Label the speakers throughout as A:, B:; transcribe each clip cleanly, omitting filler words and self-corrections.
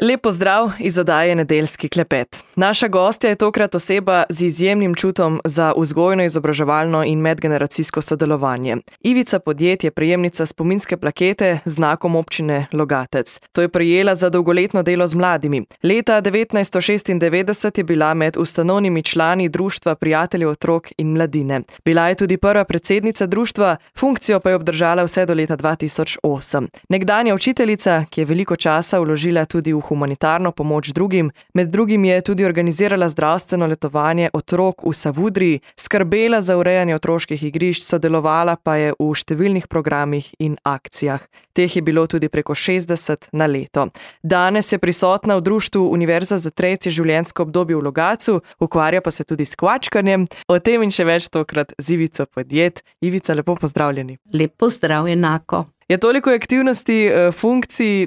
A: Lep pozdrav iz oddaje Nedeljski klepet. Naša gostja je tokrat oseba z izjemnim čutom za vzgojno-izobraževalno in medgeneracijsko sodelovanje. Ivica Podjed je prejemnica spominske plakete z znakom občine Logatec. To je prejela za dolgoletno delo z mladimi. Leta 1996 je bila med ustanovnimi člani Društva prijateljev otrok in mladine. Bila je tudi prva predsednica društva, funkcijo pa je obdržala vse do leta 2008. Nekdanja učiteljica, ki je veliko časa vložila tudi v humanitarno pomoč drugim, med drugim je tudi organizirala zdravstveno letovanje otrok v Savudriji, skrbela za urejanje otroških igrišč, sodelovala pa je v številnih programih in akcijah. Teh je bilo tudi preko 60 na leto. Danes je prisotna v društvu Univerza za tretje življenjsko obdobje v Logatcu, ukvarja pa se tudi s kvačkanjem. O tem in še več tokrat z Ivico Podjed. Ivica, lepo pozdravljeni.
B: Lep pozdrav enako.
A: Je toliko aktivnosti, funkcij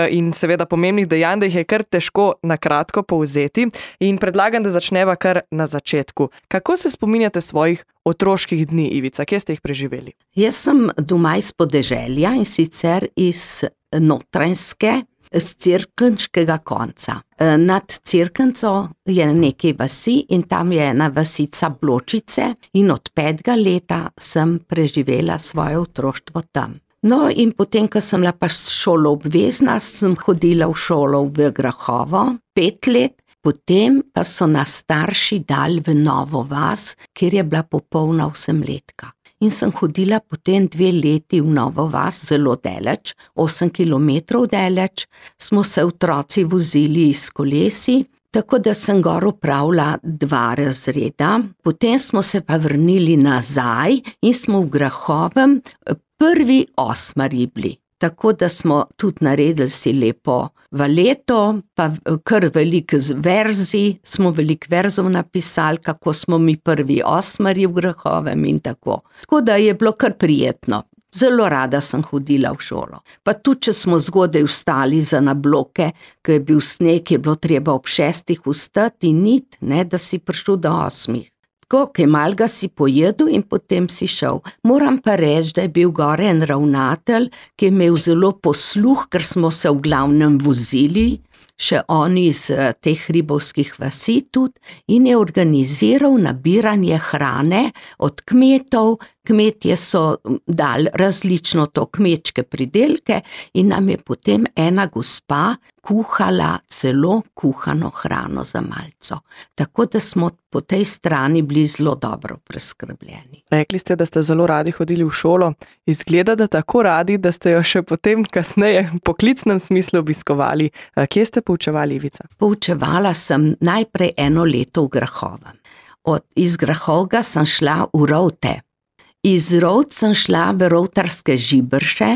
A: in seveda pomembnih dejanj, da jih je kar težko na kratko povzeti. In predlagam, da začneva kar na začetku. Kako se spominjate svojih otroških dni, Ivica? Kje ste jih preživeli?
B: Jaz sem doma iz podeželja in sicer iz Notranjske, z Cerkniškega konca. Nad Cerknico je nekaj vasi in tam je ena vasica Bločice in od 5. leta sem preživela svoje otroštvo tam. No, in potem, ko sem bila pa šolo obvezna, sem hodila v šolo v Grahovo 5 let, potem pa so nas starši dali v Novo vas, kjer je bila popolna 8-letka. In sem hodila potem 2 leti v Novo vas, zelo daleč, 8 kilometrov daleč, smo se otroci vozili s kolesi, tako da sem gor opravila 2 razreda, potem smo se pa vrnili nazaj in smo v Grahovem prvi 8. bili. Tako da smo tudi naredili si lepo valeto, pa kar veliko verzi, smo veliko verzov napisali, kako smo mi prvi 8. v Grahovem in tako. Tako da je bilo kar prijetno. Zelo rada sem hodila v šolo. Pa tudi, če smo zgodaj vstali za na bloke, ko je bil sneg, je bilo treba ob 6. vstati in iti, ne, da si prišel do 8. Tako, kaj malga si pojedel in potem si šel. Moram pa reči, da je bil gore en ravnatelj, ki je imel zelo posluh, ker smo se v glavnem vozili, še oni iz teh hribovskih vasi tudi, in je organiziral nabiranje hrane od kmetov. Kmetje so dali različno to kmečke pridelke in nam je potem ena gospa kuhala celo kuhano hrano za malco. Tako da smo po tej strani bili zelo dobro preskrbljeni.
A: Rekli ste, da ste zelo radi hodili v šolo. Izgleda, da tako radi, da ste jo še potem kasneje v poklicnem smislu obiskovali. Kje ste poučevali, Ivica?
B: Poučevala sem najprej 1 leto v Grahovem. Iz Grahovga sem šla v Rovte. Iz Rovt sem šla v rovtarske Žiberše,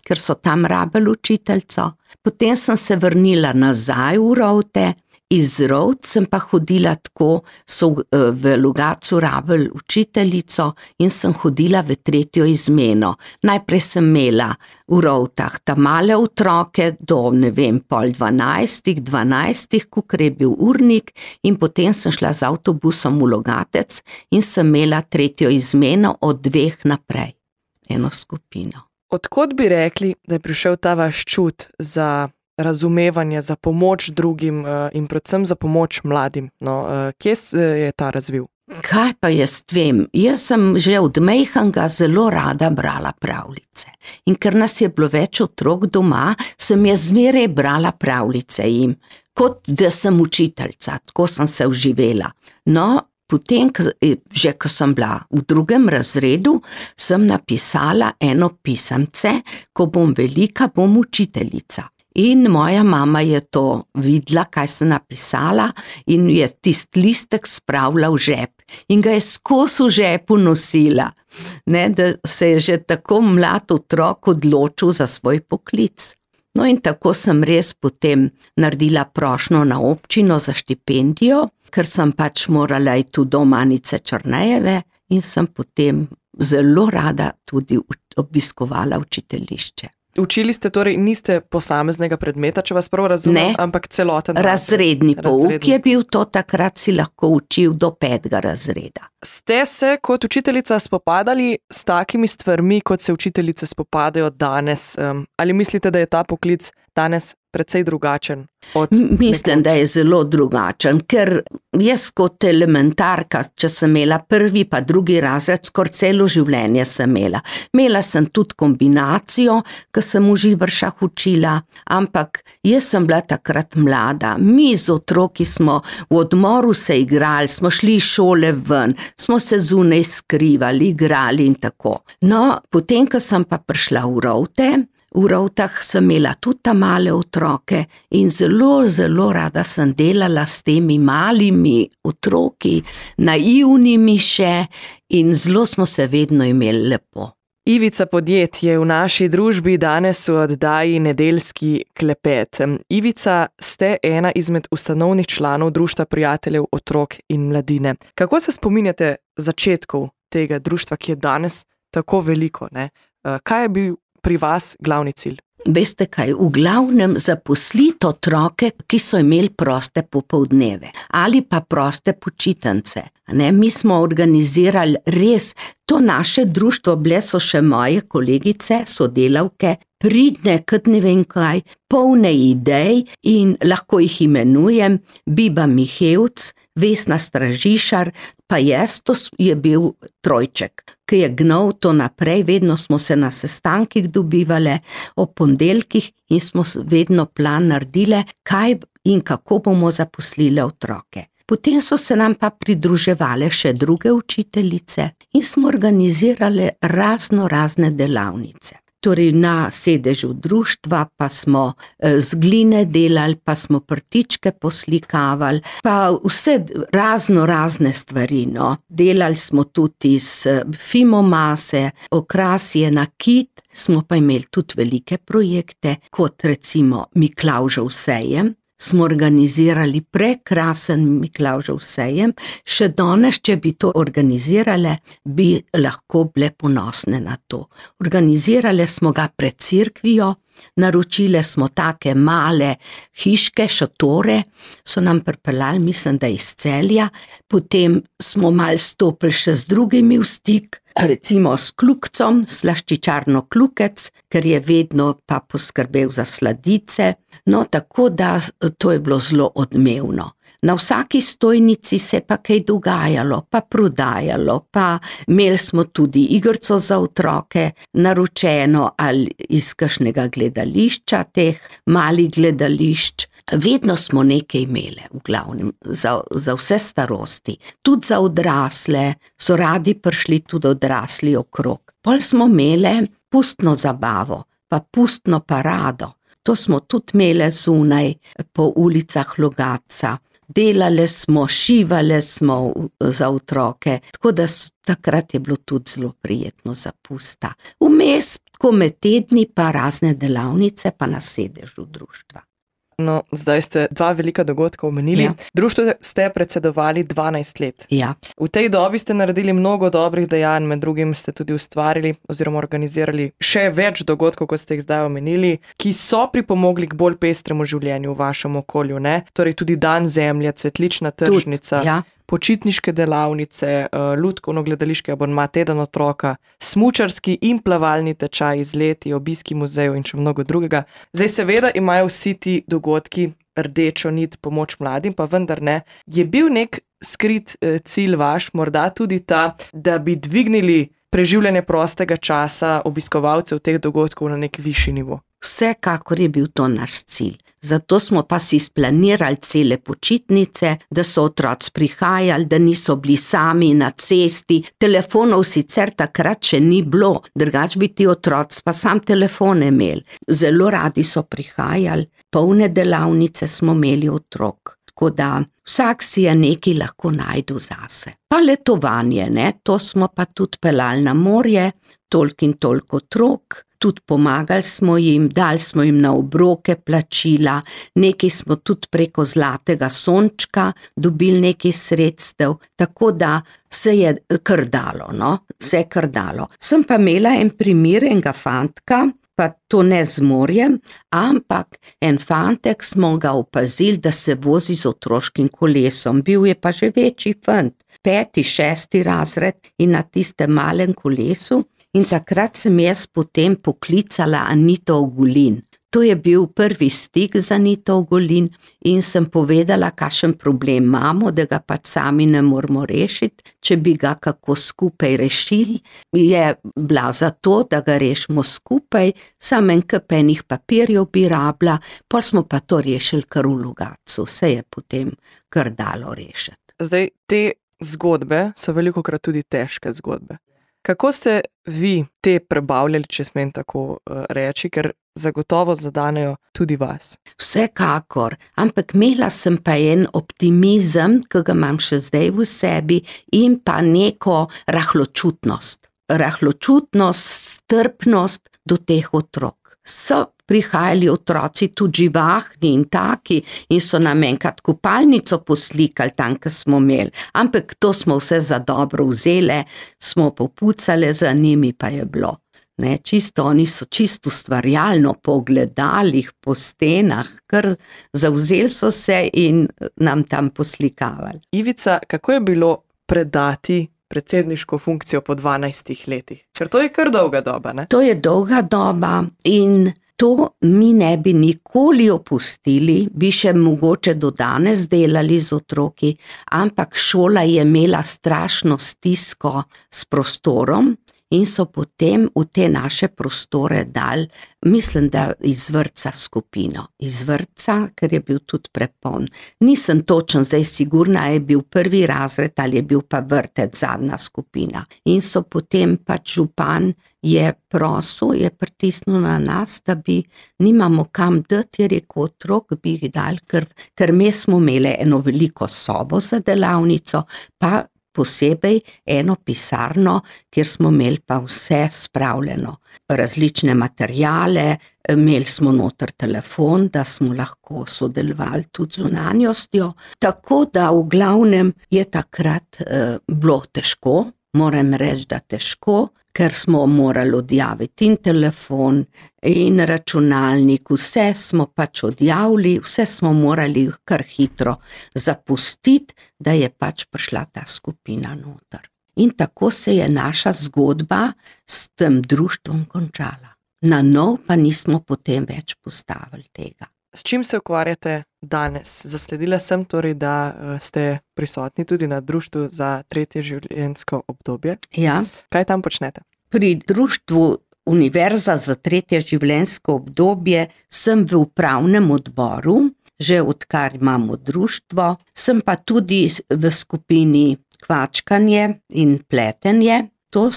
B: ker so tam rabili učiteljico. Potem sem se vrnila nazaj v Rovte. Iz Rovt sem pa hodila tako, so v Logatcu rabili učiteljico in sem hodila v 3. izmeno. Najprej sem imela v Rovtah ta male otroke do, ne vem, pol 12, kakor je bil urnik, in potem sem šla z avtobusom v Logatec in sem imela 3. izmeno od 2 naprej. Eno skupino.
A: Odkot bi rekli, da je prišel ta vaš čut za razumevanje, za pomoč drugim in predvsem za pomoč mladim? Kje se je ta razvil?
B: Kaj pa jaz vem? Jaz sem že od majhnega zelo rada brala pravljice. In ker nas je bilo več otrok doma, sem jaz zmeraj brala pravljice jim, kot da sem učiteljica, tako sem se vživela. No, potem, že ko sem bila v 2. razredu, sem napisala eno pisemce, ko bom velika, bom učiteljica. In moja mama je to videla, kaj sem napisala, in je tisti listek spravila v žep. In ga je skozi v žepu nosila, ne, da se je že tako mlad otrok odločil za svoj poklic. No, in tako sem res potem naredila prošnjo na občino za štipendijo, ker sem pač morala iti do Manice Črnejeve in sem potem zelo rada tudi obiskovala učiteljišče.
A: Učili ste torej, niste posameznega predmeta, če vas prav razumem, ampak celoten
B: razredni pouk je bil to, takrat si lahko učil do 5. razreda.
A: Ste se kot učiteljica spopadali s takimi stvarmi, kot se učiteljice spopadajo danes? Ali mislite, da je ta poklic danes precej drugačen od
B: Mislim, da je zelo drugačen, ker jaz kot elementarka, če sem imela prvi pa drugi razred, skoraj celo življenje sem imela. Imela sem tudi kombinacijo, ko sem v Živršah učila, ampak jaz sem bila takrat mlada. Mi z otroki smo v odmoru se igrali, smo šli iz šole ven, smo se zunaj skrivali, igrali in tako. No, potem, ko sem pa prišla v Rovte, v Rovtah sem imela tudi ta male otroke in zelo, zelo rada sem delala s temi malimi otroki, naivnimi še, in zelo smo se vedno imeli lepo.
A: Ivica Podjed je v naši družbi danes v oddaji Nedeljski klepet. Ivica, ste ena izmed ustanovnih članov Društva prijateljev otrok in mladine. Kako se spominjate začetkov tega društva, ki je danes tako veliko, ne? Kaj je bil pri vas glavni cilj?
B: Veste kaj, v glavnem zaposliti otroke, ki so imeli proste popoldneve ali pa proste počitnice. Mi smo organizirali res to naše društvo, bile so še moje kolegice, sodelavke, pridne, kot ne vem kaj, polne idej, in lahko jih imenujem Biba Mihevc, Vesna Stražišar, pa jaz, to je bil trojček, ki je gnal to naprej. Vedno smo se na sestankih dobivale ob ponedeljkih in smo vedno plan naredile, kaj in kako bomo zaposlile otroke. Potem so se nam pa pridruževale še druge učiteljice in smo organizirale razne delavnice. Torej na sedežu društva pa smo z gline delali, pa smo prtičke poslikavali, pa vse razne stvari, no. Delali smo tudi iz fimomase, okrasje, nakit, smo pa imeli tudi velike projekte, kot recimo Miklavžev sejem. Smo organizirali prekrasen Miklavžev sejem, še danes, če bi to organizirale, bi lahko bile ponosne na to. Organizirale smo ga pred cerkvijo, naročile smo take male hiške, šotore, so nam pripeljali, mislim, da iz Celja, potem smo malo stopili še z drugimi v stik, recimo s Klukcom, slaščičarno Klukec, ker je vedno pa poskrbel za sladice. No, tako da to je bilo zelo odmevno. Na vsaki stojnici se pa kaj dogajalo, pa prodajalo, pa imeli smo tudi igrico za otroke, naročeno ali iz kakšnega gledališča, teh malih gledališč. Vedno smo nekaj imeli, v glavnem, za vse starosti. Tudi za odrasle, so radi prišli tudi odrasli okrog. Pol smo imeli pustno zabavo, pa pustno parado. To smo tudi imeli zunaj po ulicah Logatca. Delale smo, šivale smo za otroke, tako da takrat je bilo tudi zelo prijetno za pusta. Vmes, tako med tedni, pa razne delavnice, pa na sedežu društva.
A: No, zdaj ste dva velika dogodka omenili. Ja. Društvu ste predsedovali 12 let.
B: Ja.
A: V tej dobi ste naredili mnogo dobrih dejanj, med drugim ste tudi ustvarili oziroma organizirali še več dogodkov, kot ste jih zdaj omenili, ki so pripomogli k bolj pestremu življenju v vašem okolju, ne? Torej tudi Dan zemlje, cvetlična tržnica,
B: ja.
A: Počitniške delavnice, lutkovno-gledališki abonma, teden otroka, smučarski in plavalni tečaj, izleti, obiski muzejev in še mnogo drugega. Zdaj seveda imajo vsi ti dogodki rdečo nit, pomoč mladim, pa vendar ne. Je bil nek skrit cilj vaš, morda tudi ta, da bi dvignili preživljanje prostega časa obiskovalcev teh dogodkov na nek višji nivo?
B: Vsekakor je bil to naš cilj. Zato smo pa si splanirali cele počitnice, da so otroci prihajali, da niso bili sami na cesti. Telefonov sicer takrat še ni bilo, drugač bi ti otroci pa sam telefone imeli. Zelo radi so prihajali, polne delavnice smo imeli otrok. Tako da vsak si je nekaj lahko najdu zase. Pa letovanje, ne, to smo pa tudi peljali na morje, toliko in toliko otrok. Tudi pomagali smo jim, dali smo jim na obroke plačila, nekaj smo tudi preko Zlatega sončka dobili nekaj sredstev, tako da se je kar dalo, no, se je kar dalo. Sem pa imela en primer enega fantka, pa to ne z morjem, ampak en fantek smo ga opazili, da se vozi z otroškim kolesom. Bil je pa že večji fant, 5., 6. razred in na tistem malem kolesu. In takrat sem jaz potem poklicala Anito Ogulin. To je bil prvi stik z Anito Ogulin in sem povedala, kakšen problem imamo, da ga pač sami ne moramo rešiti. Če bi ga kako skupaj rešili, je bila za to, da ga rešimo skupaj, samo en kup enih papirjev bi rabila, pol smo pa to rešili kar v Logatcu, se je potem kar dalo rešiti.
A: Zdaj, te zgodbe so velikokrat tudi težke zgodbe. Kako ste vi te prebavljali, če smem tako reči, ker zagotovo zadanejo tudi vas?
B: Vsekakor, ampak imela sem pa en optimizem, ki ga imam še zdaj v sebi, in pa neko rahločutnost. Rahločutnost, strpnost do teh otrok. So prihajali otroci tudi živahni in taki in so nam enkrat kopalnico poslikali tam, kjer smo imeli. Ampak to smo vse za dobro vzele, smo popucale za njimi, pa je bilo. Oni so čisto ustvarjalno po ogledalih, po stenah, kar zavzeli so se in nam tam poslikavali.
A: Ivica, kako je bilo predati predsedniško funkcijo po 12 letih? Ker to je kar dolga doba, ne?
B: To je dolga doba in to mi ne bi nikoli opustili, bi še mogoče do danes delali z otroki, ampak šola je imela strašno stisko s prostorom in so potem v te naše prostore dali, mislim, da iz vrtca skupino. Iz vrtca, ker je bil tudi prepoln. Nisem točen zdaj sigurna, je bil prvi razred ali je bil pa vrtec zadnja skupina. In so potem pač župan je prosil, je pritisnil na nas, da bi nimamo kam dati, je rekel, otrok bi jih dali, ker mi smo imeli eno veliko sobo za delavnico, pa posebej eno pisarno, kjer smo imeli pa vse spravljeno. Različne materijale, imeli smo noter telefon, da smo lahko sodelovali tudi z zunanjostjo. Tako da v glavnem je takrat bilo težko, moram reči, da težko, ker smo morali odjaviti in telefon in računalnik, vse smo pač odjavili, vse smo morali kar hitro zapustiti, da je pač prišla ta skupina noter. In tako se je naša zgodba s tem društvom končala. Na nov pa nismo potem več postavili tega.
A: S čim se ukvarjate danes? Zasledila sem torej, da ste prisotni tudi na društvu za tretje življenjsko obdobje.
B: Ja.
A: Kaj tam počnete?
B: Pri društvu Univerza za tretje življenjsko obdobje sem v upravnem odboru, že odkar imamo društvo, sem pa tudi v skupini kvačkanje in pletenje. To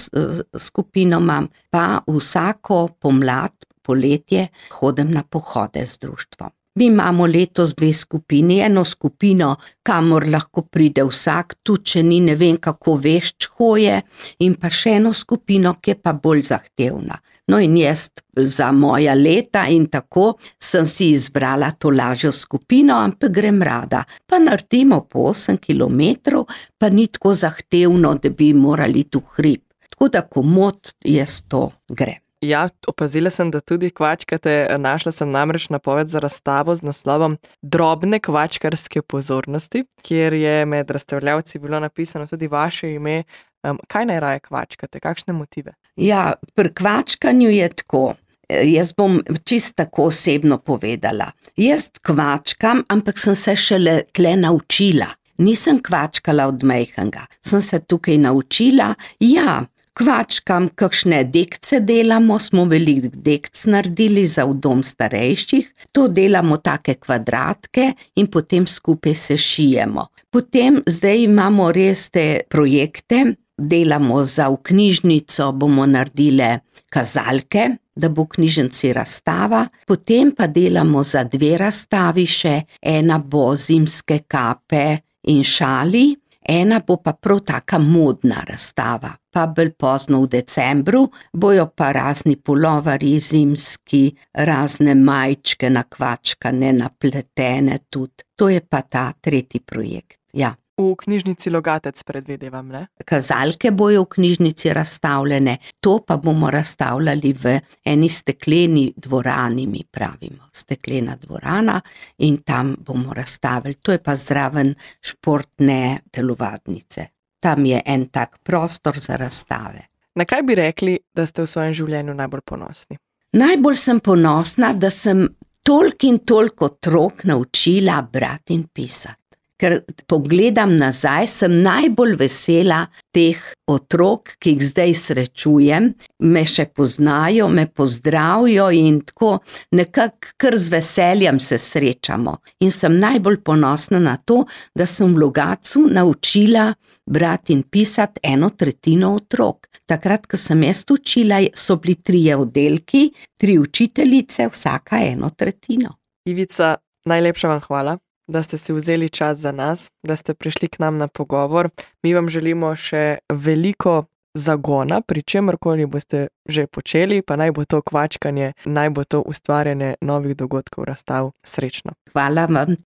B: skupino imam, pa vsako pomlad, poletje hodim na pohode z društvom. Mi imamo letos 2 skupini, eno skupino, kamor lahko pride vsak, tudi če ni ne vem kako vešč hoje, in pa še eno skupino, ki je pa bolj zahtevna. No in jaz za moja leta in tako sem si izbrala to lažjo skupino, ampak grem rada. Pa naredimo po 8 kilometrov, pa ni tako zahtevno, da bi morali tu hrib. Tako da komot jaz to grem.
A: Ja, opazila sem, da tudi kvačkate. Našla sem namreč napoved za razstavo z naslovom Drobne kvačkarske pozornosti, kjer je med razstavljavci bilo napisano tudi vaše ime. Kaj najraje kvačkate? Kakšne motive?
B: Ja, pri kvačkanju je tako. Jaz bom čisto tako osebno povedala. Jaz kvačkam, ampak sem se šele tle naučila. Nisem kvačkala od majhnega. Sem se tukaj naučila, ja, kvačkam, kakšne dekce delamo, smo veliko dekc naredili za v dom starejših, to delamo take kvadratke in potem skupaj se šijemo. Potem zdaj imamo res te projekte, delamo za v knjižnico, bomo naredile kazalke, da bo v knjižnici razstava, potem pa delamo za 2 razstavi še, ena bo zimske kape in šali, ena bo pa prav taka modna razstava, pa bolj pozno v decembru, bojo pa razni pulovari zimski, razne majčke nakvačkane, napletene tudi. To je pa ta 3. projekt, ja.
A: V knjižnici Logatec predvidevam, ne?
B: Kazalke bojo v knjižnici razstavljene, to pa bomo razstavljali v eni stekleni dvorani, mi pravimo. Steklena dvorana in tam bomo razstavili. To je pa zraven športne telovadnice. Tam je en tak prostor za razstave.
A: Na kaj bi rekli, da ste v svojem življenju najbolj ponosni?
B: Najbolj sem ponosna, da sem toliko in toliko otrok naučila brati in pisati. Ker pogledam nazaj, sem najbolj vesela teh otrok, ki jih zdaj srečujem, me še poznajo, me pozdravijo in tako nekako kar z veseljem se srečamo. In sem najbolj ponosna na to, da sem v Logatcu naučila brati in pisati 1/3 otrok. Takrat, ko sem jaz učila, so bili 3 oddelki, 3 učiteljice, vsaka 1/3.
A: Ivica, najlepša vam hvala, da ste si vzeli čas za nas, da ste prišli k nam na pogovor. Mi vam želimo še veliko zagona, pri čemerkoli boste že počeli, pa naj bo to kvačkanje, naj bo to ustvarjanje novih dogodkov, razstav. Srečno.
B: Hvala vam